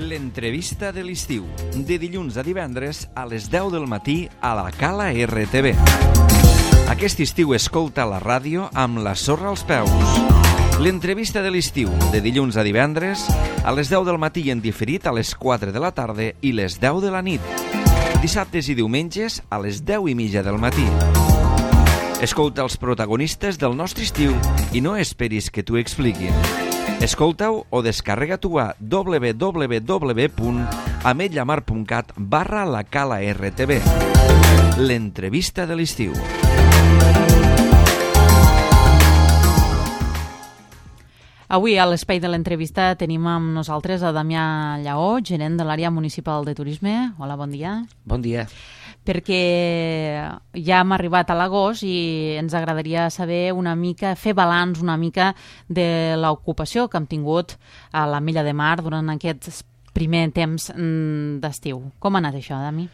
L'entrevista de l'estiu, de dilluns a divendres a les 10 del matí a la Cala RTV. Aquest estiu escolta la ràdio amb la sorra als peus. L'entrevista de l'estiu, de dilluns a divendres a les 10 del matí en diferit a les 4 de la tarda i les 10 de la nit. Dissabtes i diumenges a les 10:30 del matí. Escolta els protagonistes del nostre estiu i no esperis que t'ho expliquin. Escolta-ho o descarrega-t'ho a www.ametlamar.cat/la Cala RTV. L'entrevista de l'estiu. Avui a l'espai de l'entrevista tenim amb nosaltres a Damià Lleó, gerent de l'àrea municipal de turisme. Hola, bon dia. Bon dia. Perquè ja hem arribat a l'agost i ens agradaria saber una mica, fer balanç una mica de l'ocupació que hem tingut a l'Ametlla de Mar durant aquest primer temps d'estiu. Com ha anat això, Dami?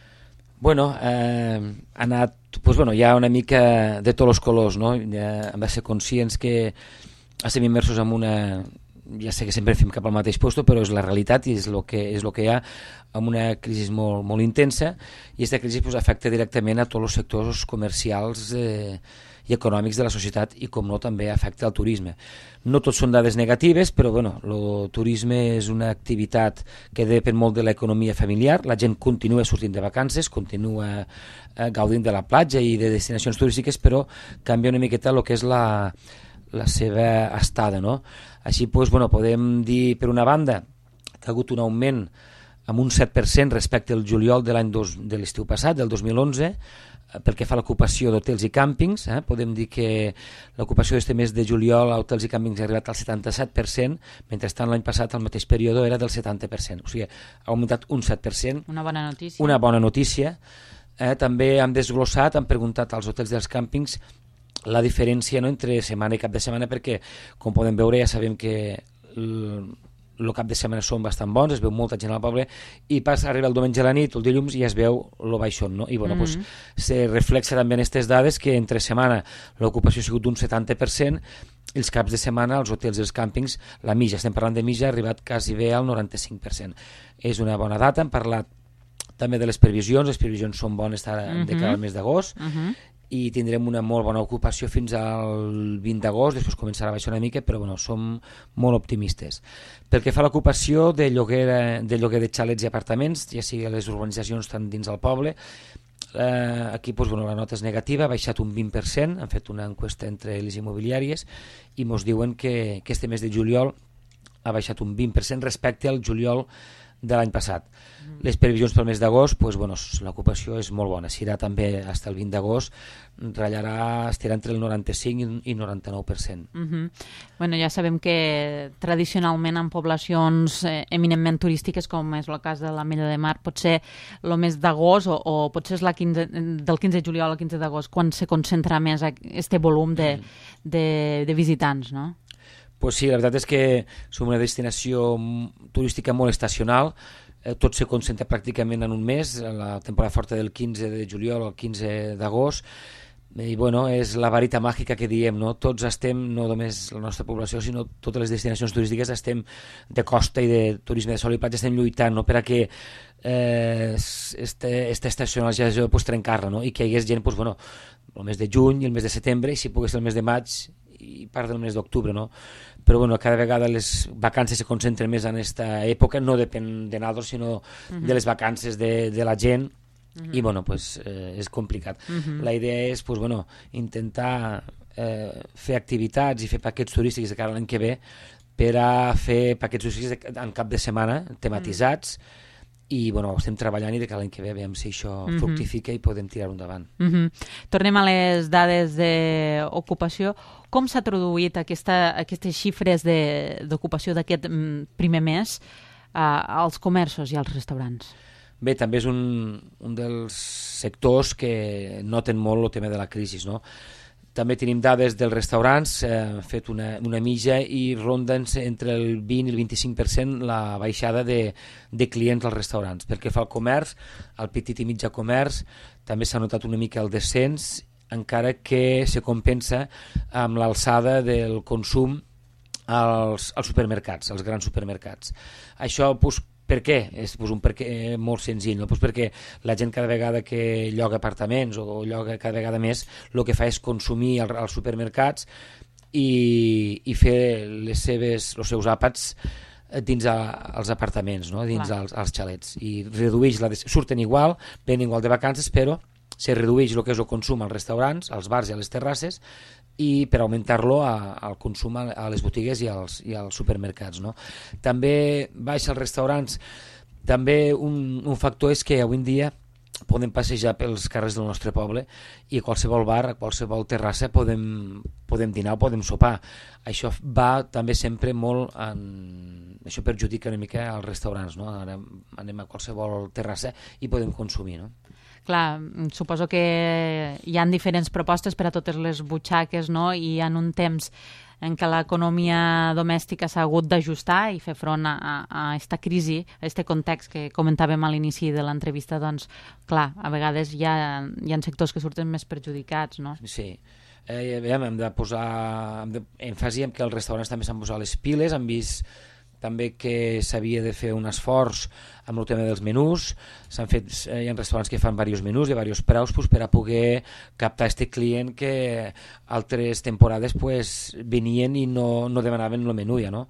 Bueno, ha anat, hi ha una mica de tots els colors, no? Ja hem de ser conscients que estem immersos en una... Ja sé que sempre fem cap al mateix lloc, però és la realitat i és el que hi ha, amb una crisi molt, molt intensa, i aquesta crisi afecta directament a tots els sectors comercials i econòmics de la societat i, com no, també afecta al turisme. No tots són dades negatives, però el turisme és una activitat que depèn molt de l'economia familiar. La gent continua sortint de vacances, continua gaudint de la platja i de destinacions turístiques, però canvia una miqueta el que és la seva estada, no? Així, podem dir, per una banda, que ha hagut un augment amb un 7% respecte al juliol de l'estiu passat, del 2011, pel que fa a l'ocupació d'hotels i càmpings. Podem dir que l'ocupació d'aquest mes de juliol a hotels i càmpings ha arribat al 77%, mentrestant l'any passat, al mateix període, era del 70%. O sigui, ha augmentat un 7%. Una bona notícia. Una bona notícia. També hem desglossat, hem preguntat als hotels i als càmpings la diferència, no, entre setmana i cap de setmana, perquè, com podem veure, ja sabem que el cap de setmana són bastant bons, es veu molta gent al poble, i arriba el diumenge a la nit o el dilluns i es veu el baixón, no? I se reflexa també en aquestes dades que entre setmana l'ocupació ha sigut d'un 70%, i els caps de setmana als hotels i els càmpings, la mitja, estem parlant de mitja, ha arribat quasi bé al 95%. És una bona data. Hem parlat també de les previsions són bones de cara al mes d'agost, i tindrem una molt bona ocupació fins al 20 d'agost, després començarà a baixar una mica, però som molt optimistes. Pel que fa a l'ocupació de lloguer de xalets i apartaments, ja sigui les urbanitzacions tant dins del poble, aquí la nota és negativa, ha baixat un 20%, han fet una enquesta entre les immobiliàries i ens diuen que este mes de juliol ha baixat un 20% respecte al juliol de l'any passat. Les previsions pel mes d'agost, l'ocupació és molt bona, serà també fins al 20 d'agost, estarà entre el 95 i 99%. Ja sabem que tradicionalment en poblacions eminentment turístiques, com és el cas de l'Ametlla de Mar, pot ser el mes d'agost o potser és del 15 de juliol al 15 d'agost quan se concentra més aquest volum de visitants, no? Pues sí, la veritat és que som una destinació turística molt estacional, tot se concentra pràcticament en un mes, la temporada forta del 15 de juliol al 15 d'agost, i és la varita màgica que diem, no? Tots estem, no només la nostra població, sinó totes les destinacions turístiques estem de costa i de turisme de sol i platja, estem lluitant, no? Per a que aquesta estacionalització trencar-la, no? I que hi hagués gent, el mes de juny i el mes de setembre, i si pogués el mes de maig i part del mes d'octubre, no? Però cada vegada les vacances se concentren més en aquesta època, no depèn de nosaltres, sinó de les vacances de la gent, i és complicat. La idea és intentar fer activitats i fer paquets turístics de cara a l'any que ve, per a fer paquets turístics en cap de setmana tematitzats, i estem treballant i de cada any que ve veiem si això fructifica i podem tirar-ho endavant. Tornem a les dades d'ocupació. Com s'ha traduït aquestes xifres d'ocupació d'aquest primer mes als comerços i als restaurants? Bé, també és un dels sectors que noten molt el tema de la crisi, no? També tenim dades dels restaurants, hem fet una mitja i ronden entre el 20 i el 25% la baixada de clients als restaurants. Pel que fa al comerç, al petit i mitjà comerç, també s'ha notat una mica el descens, encara que se compensa amb l'alçada del consum als supermercats, als grans supermercats. Això Per què? És un perquè molt senzill, no? Perquè la gent cada vegada que lloga apartaments o lloga cada vegada més, el que fa és consumir als supermercats i fer els seus àpats dins els apartaments, no? Dins els xalets, i surten igual, venen igual de vacances, però se redueix el que és el consum als restaurants, als bars i a les terrasses, i per augmentar-lo al consum a les botigues i als supermercats, no? També baixa als restaurants. També un factor és que avui en dia podem passejar pels carrers del nostre poble i a qualsevol bar, a qualsevol terrassa podem dinar o podem sopar. Això va també sempre molt això perjudica una mica als restaurants, no? Ara anem a qualsevol terrassa i podem consumir, no? Clar, suposo que hi ha diferents propostes per a totes les butxaques, no? I en un temps en què l'economia domèstica s'ha hagut d'ajustar i fer front a aquesta crisi, a aquest context que comentàvem a l'inici de l'entrevista, doncs, clar, a vegades hi ha sectors que surten més perjudicats, no? Sí. Hem de posar èmfasi en que els restaurants també s'han posat les piles, han vist també que s'havia de fer un esforç amb el tema dels menús. Hi ha restaurants que fan diversos menús de diversos preus per a poder captar aquest client que altres temporades venien i no demanaven el menú ja, no?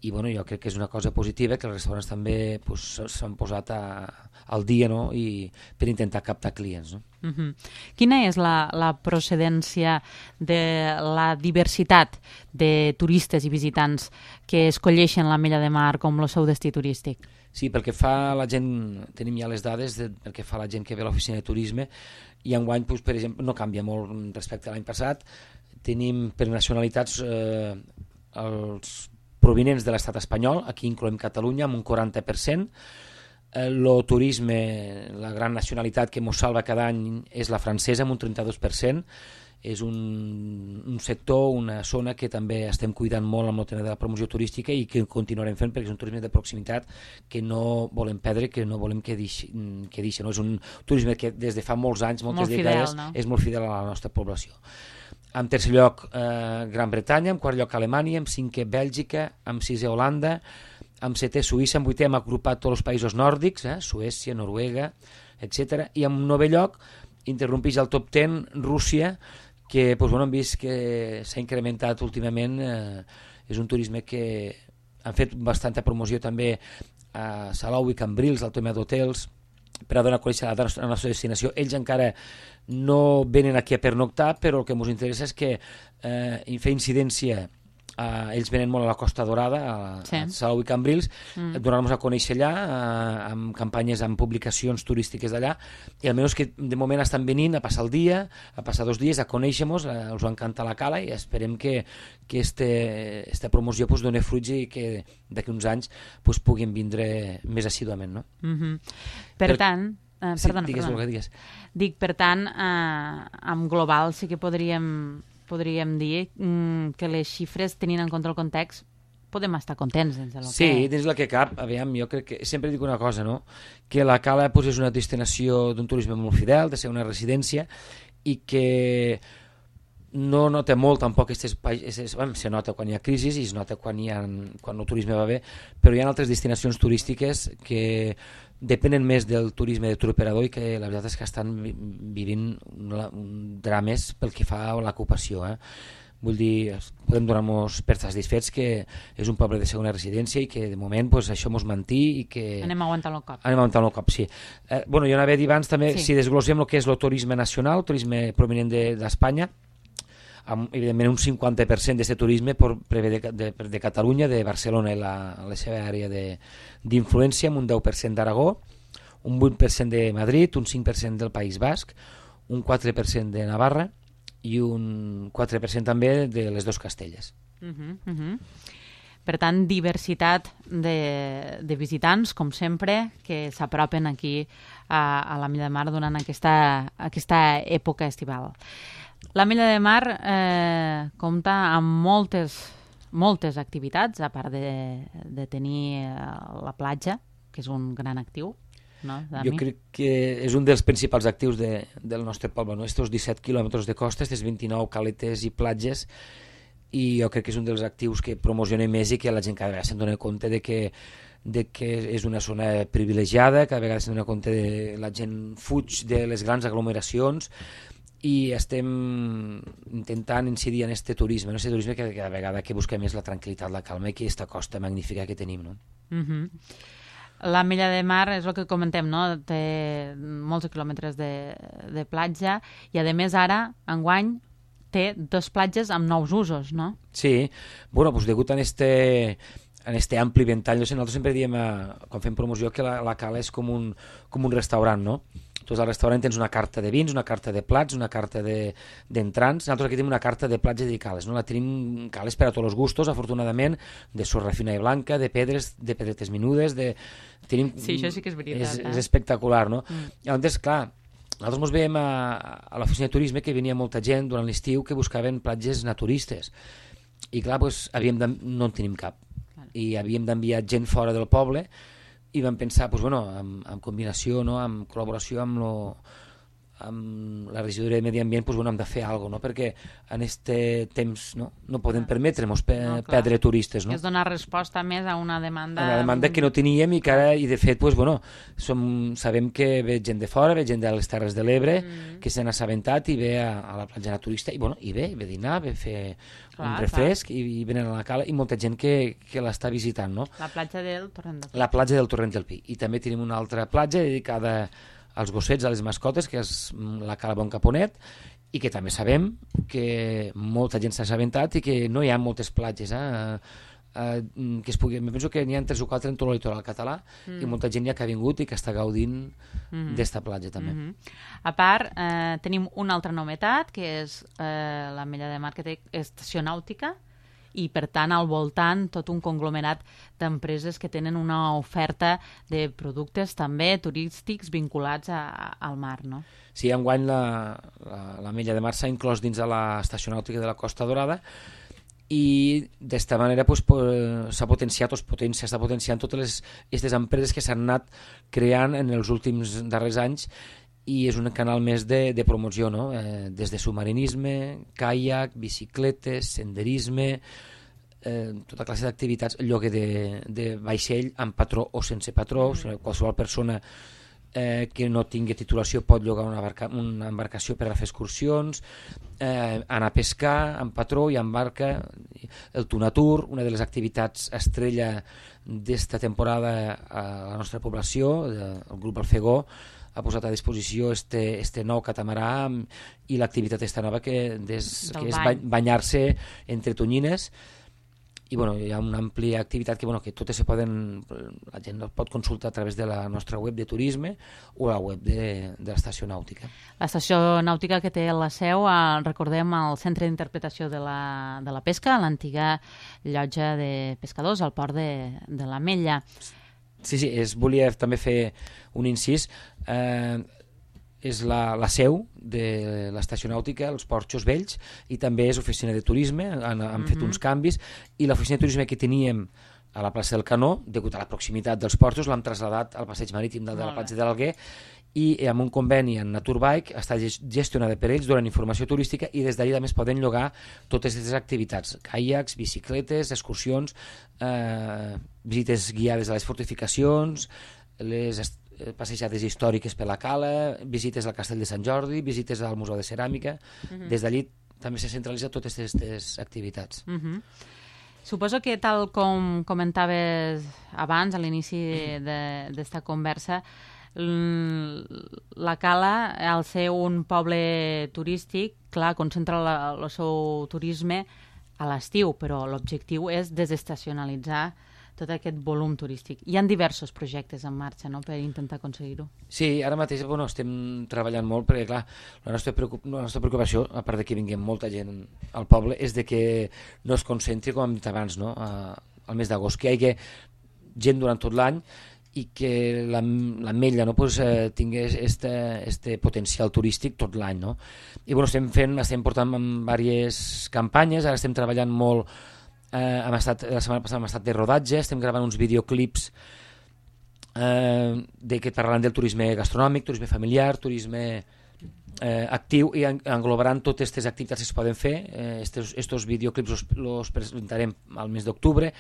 I jo crec que és una cosa positiva que els restaurants també s'han posat al dia, no? I per intentar captar clients, no? Quina és la procedència de la diversitat de turistes i visitants que escolleixen l'Ametlla de Mar com el seu destí turístic? Sí, pel que fa a la gent, tenim ja les dades pel que fa a la gent que ve a l'oficina de turisme, i enguany, per exemple, no canvia molt respecte a l'any passat. Tenim per nacionalitats els provinents de l'estat espanyol, aquí incloem Catalunya amb un 40%. El turisme, la gran nacionalitat que ens salva cada any és la francesa amb un 32%. És un sector, una zona que també estem cuidant molt amb el tema de la promoció turística i que continuarem fent perquè és un turisme de proximitat que no volem perdre, que no volem que deixi, no? És un turisme que des de fa molts anys, moltes dècades, no? És molt fidel a la nostra població. En tercer lloc, Gran Bretanya, en quart lloc Alemanya, en cinquè Bèlgica, en sisè Holanda, en setè Suïssa, en vuitè hem agrupat tots els països nòrdics, Suècia, Noruega, etc. I en novè lloc interrompeix el top 10 Rússia, que hem vist que s'ha incrementat últimament. És un turisme que han fet bastanta promoció també a Salou i Cambrils, al tema d'hotels, per a donar a conèixer la nostra destinació. Ells encara no venen aquí a pernoctar, però el que ens interessa és que fer incidència. Ells venen molt a la Costa Dorada, a Salou i Cambrils, donar-nos a conèixer allà amb campanyes, amb publicacions turístiques d'allà, i almenys que de moment estan venint a passar el dia, a passar 2 dies, a conèixer-nos, us encanta la cala, i esperem que aquesta promoció doni fruits i que d'aquí uns anys puguin vindre més assíduament, no? Per tant... Perdona. Digues. Dic, per tant, en global sí que podríem dir que les xifres, tenint en compte el context, podem estar contents dins del que... Sí, dins del que cap. Aviam, jo crec que sempre dic una cosa, no? Que la Cala és una destinació d'un turisme molt fidel, de ser una residència, i que no nota molt tampoc se nota quan hi ha crisi i es nota quan el turisme va bé, però hi ha altres destinacions turístiques que depenen més del turisme de tour operador i que la veritat és que estan vivint drames pel que fa a l'ocupació. Vull dir, podem donar-nos per satisfets que és un poble de segona residència i que de moment això ens manté i que... Anem aguantant el cop. Anem aguantant el cop, sí. Jo anava a dir abans també, si desglossem el que és el turisme nacional, el turisme provinent d'Espanya, evidentment un 50% d'aquest turisme prové de Catalunya, de Barcelona i la seva àrea d'influència, amb un 10% d'Aragó, un 8% de Madrid, un 5% del País Basc, un 4% de Navarra i un 4% també de les dos Castelles. Per tant, diversitat de visitants, com sempre, que s'apropen aquí a l'Ametlla de Mar durant aquesta època estival. L'Ametlla de Mar compta amb moltes activitats, a part de tenir la platja, que és un gran actiu. No, jo crec que és un dels principals actius del nostre poble, no? Estos 17 quilòmetres de costa, aquestes 29 caletes i platges, i jo crec que és un dels actius que promociona més i que la gent cada vegada se'n dona compte de que és una zona privilegiada, cada vegada se'n dona compte de la gent fuig de les grans aglomeracions i estem intentant incidir en este turisme, que cada vegada que busquem més la tranquil·litat, la calma i que aquesta costa magnífica que tenim, no? L'Ametlla de Mar és el que comentem, no? Té molts quilòmetres de platja i, a més, ara, enguany, té 2 platges amb nous usos, no? Sí, bueno, doncs degut a este ampli ventall, nosaltres sempre diem, quan fem promoció, que la cala és com un restaurant, no? Tu al restaurant tens una carta de vins, una carta de plats, una carta d'entrants. Nosaltres aquí tenim una carta de plats i de cales, no? La tenim cales per a tots els gustos, afortunadament, de sorra fina i blanca, de pedres, de pedretes menudes, Sí, això sí que és veritat. És espectacular, no? Llavors, clar, nosaltres ens veiem a l'oficina de turisme que venia molta gent durant l'estiu que buscaven platges naturistes. I clar, doncs, no en tenim cap. I havíem d'enviar gent fora del poble i vam pensar, doncs, bueno, en combinació, no? En col·laboració amb la regidoria de Medi Ambient, doncs, bueno, hem de fer alguna cosa, no? Perquè en aquest temps no podem permetre-nos perdre turistes. No? És donar resposta més a una demanda... Una demanda que no teníem i que ara, i de fet, doncs, bueno, sabem que ve gent de fora, ve gent de les Terres de l'Ebre, que se n'ha assabentat i ve a la platja naturista, i bueno, ve a dinar, ve a fer un refresc i venen a la cala, i molta gent que l'està visitant, no? La platja del Torrent del Pi. La platja del Torrent del Pi. I també tenim una altra platja dedicada als gossets, a les mascotes, que és la cala Bon Caponet, i que també sabem que molta gent s'ha assabentat i que no hi ha moltes platges que es pugui... Penso que n'hi ha 3 o 4 en tot el litoral català i molta gent ja que ha vingut i que està gaudint d'esta platja també. A part, tenim una altra novetat, que és l'Ametlla de Mar, que té estació nàutica, i per tant al voltant tot un conglomerat d'empreses que tenen una oferta de productes també turístics vinculats al mar, no? Sí, enguany l'Ametlla de Mar s'ha inclòs dins de l'estació nàutica de la Costa Dorada i d'esta manera s'ha potenciat s'està potenciant totes aquestes empreses que s'han anat creant en els últims darrers anys i és un canal més de promoció, no? Des de submarinisme, caiac, bicicletes, senderisme, tota classe d'activitats, lloguer de vaixell amb patró o sense patró, qualsevol persona que no tingui titulació pot llogar una embarcació per a fer excursions, anar a pescar amb patró i amb barca, el Tunatur, una de les activitats estrella d'esta temporada a la nostra població, el grup Alfegó, ha posat a disposició este nou catamarà i l'activitat esta nova que és banyar-se entre tonyines i bueno, hi ha una àmplia activitat que totes la gent pot consultar a través de la nostra web de turisme o la web de l'estació nàutica. L'estació nàutica que té la seu, recordem, al Centre d'Interpretació de la Pesca, l'antiga llotja de pescadors al port de l'Ametlla. Sí, volia també fer un incís. És la seu de l'estació nàutica, els Porxos Vells, i també és oficina de turisme, han fet uns canvis, i l'oficina de turisme que teníem a la plaça del Canó, degut a la proximitat dels portos, l'hem traslladat al passeig marítim de la platja de l'Alguer, i amb un conveni en Naturbike està gestionada per ells, donen informació turística i des d'allà també es poden llogar totes aquestes activitats, caiacs, bicicletes, excursions, visites guiades a les fortificacions, les passejades històriques per la cala, visites al Castell de Sant Jordi, visites al Museu de Ceràmica. Des d'allí també se centralitza totes aquestes activitats. Suposo que, tal com comentaves abans, a l'inici d'esta conversa, la Cala, al ser un poble turístic, clar, concentra el seu turisme a l'estiu, però l'objectiu és desestacionalitzar tot aquest volum turístic. Hi ha diversos projectes en marxa, no?, per intentar aconseguir-ho. Sí, ara mateix estem treballant molt perquè, clar, la nostra preocupació, a part de que vingui molta gent al poble, és de que no es concentri, com hem dit abans, no?, al mes d'agost, que hi hagi gent durant tot l'any i que l'Ametlla tingués este potencial turístic tot l'any, no? I bueno, estem portant diverses campanyes, ara estem treballant molt. La setmana passada hem estat de rodatge, estem gravant uns videoclips que parlen del turisme gastronòmic, turisme familiar, turisme actiu i englobaran totes aquestes activitats que es poden fer. Estos videoclips los presentarem al mes d'octubre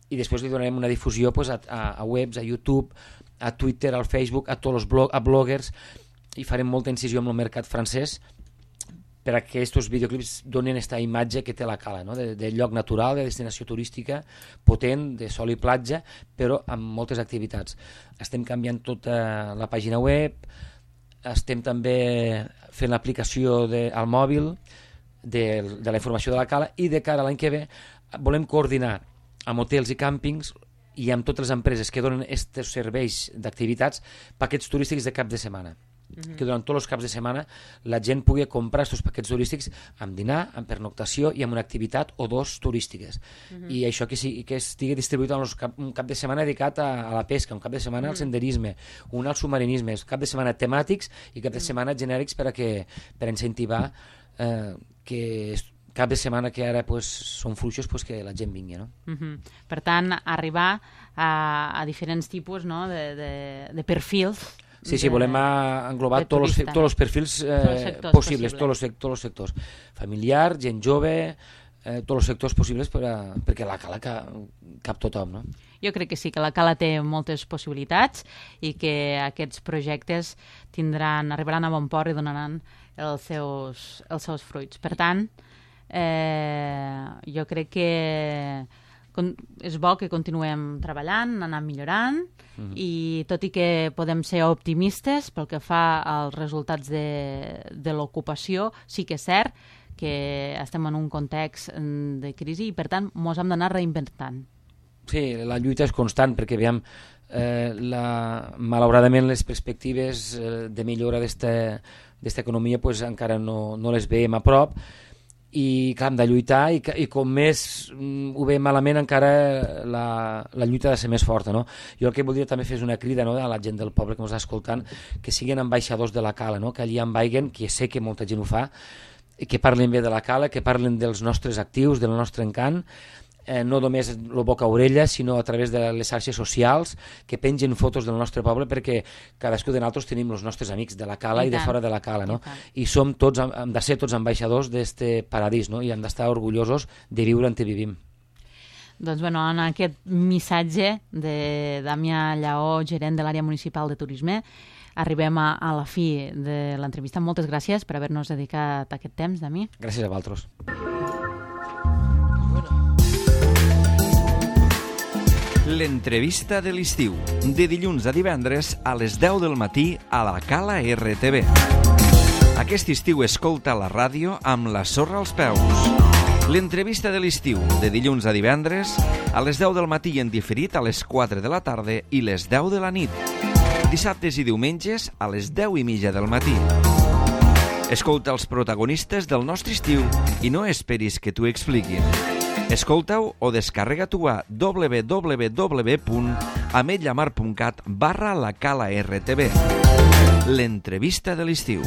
i després li donarem una difusió pues, a webs, a YouTube, a Twitter, al Facebook, a tots els a bloggers, i farem molta incisió amb el mercat francès per a que aquests videoclips donen aquesta imatge que té la Cala, no? de lloc natural, de destinació turística potent, de sol i platja, però amb moltes activitats. Estem canviant tota la pàgina web, estem també fent l'aplicació al mòbil de la informació de la Cala, i de cara a l'any que ve volem coordinar amb hotels i càmpings i amb totes les empreses que donen aquests serveis d'activitats paquets turístics de cap de setmana. Que durant tots els caps de setmana la gent pugui comprar aquests paquets turístics amb dinar, amb pernoctació i amb una activitat o dos turístiques. I això que estigui distribuït en un cap de setmana dedicat a la pesca, un cap de setmana al senderisme, un al submarinisme, cap de setmana temàtics i cap de setmana genèrics per incentivar que cap de setmana que ara pues, són fluixos pues, que la gent vingui. No? Per tant, arribar a diferents tipus, no? de perfils. Sí, volem englobar tots els perfils possibles, tots els sectors. Familiar, gent jove, tots els sectors possibles perquè la Cala cap tothom. No? Jo crec que sí, que la Cala té moltes possibilitats i que aquests projectes arribaran a bon port i donaran els seus fruits. Per tant, jo crec que és bo que continuem treballant, anar millorant, i tot i que podem ser optimistes pel que fa als resultats de l'ocupació, sí que és cert que estem en un context de crisi i per tant ens hem d'anar reinventant. Sí, la lluita és constant perquè veiem malauradament les perspectives de millora d'esta economia pues, encara no les veiem a prop, i clar, hem de lluitar i com més ho veiem malament encara la lluita ha de ser més forta. No? Jo el que voldria també fer és una crida, no, a la gent del poble que ens està escoltant, que siguin ambaixadors de la Cala, no? Que allí envaiguen, que sé que molta gent ho fa, que parlin bé de la Cala, que parlin dels nostres actius, del nostre encant, no només el boca a orella, sinó a través de les xarxes socials, que pengen fotos del nostre poble, perquè cadascú de nosaltres tenim els nostres amics de la Cala i de fora de la Cala, no? I hem de ser tots ambaixadors d'este paradís, no? I hem d'estar orgullosos de viure on vivim. Doncs bueno, en aquest missatge de Damià Lleó, gerent de l'àrea municipal de turisme, arribem a la fi de l'entrevista. Moltes gràcies per haver-nos dedicat aquest temps, Dami. Gràcies a vosaltres. L'entrevista de l'estiu, de dilluns a divendres a les 10 del matí a la Cala RTV. Aquest estiu escolta la ràdio amb la sorra als peus. L'entrevista de l'estiu, de dilluns a divendres a les 10 del matí en diferit a les 4 de la tarda i les 10 de la nit. Dissabtes i diumenges a les 10:30 del matí. Escolta els protagonistes del nostre estiu i no esperis que t'ho expliquin. Escolta-ho o descarrega-t'ho a www.ametlllamar.cat/la Cala RTV. L'entrevista de l'estiu.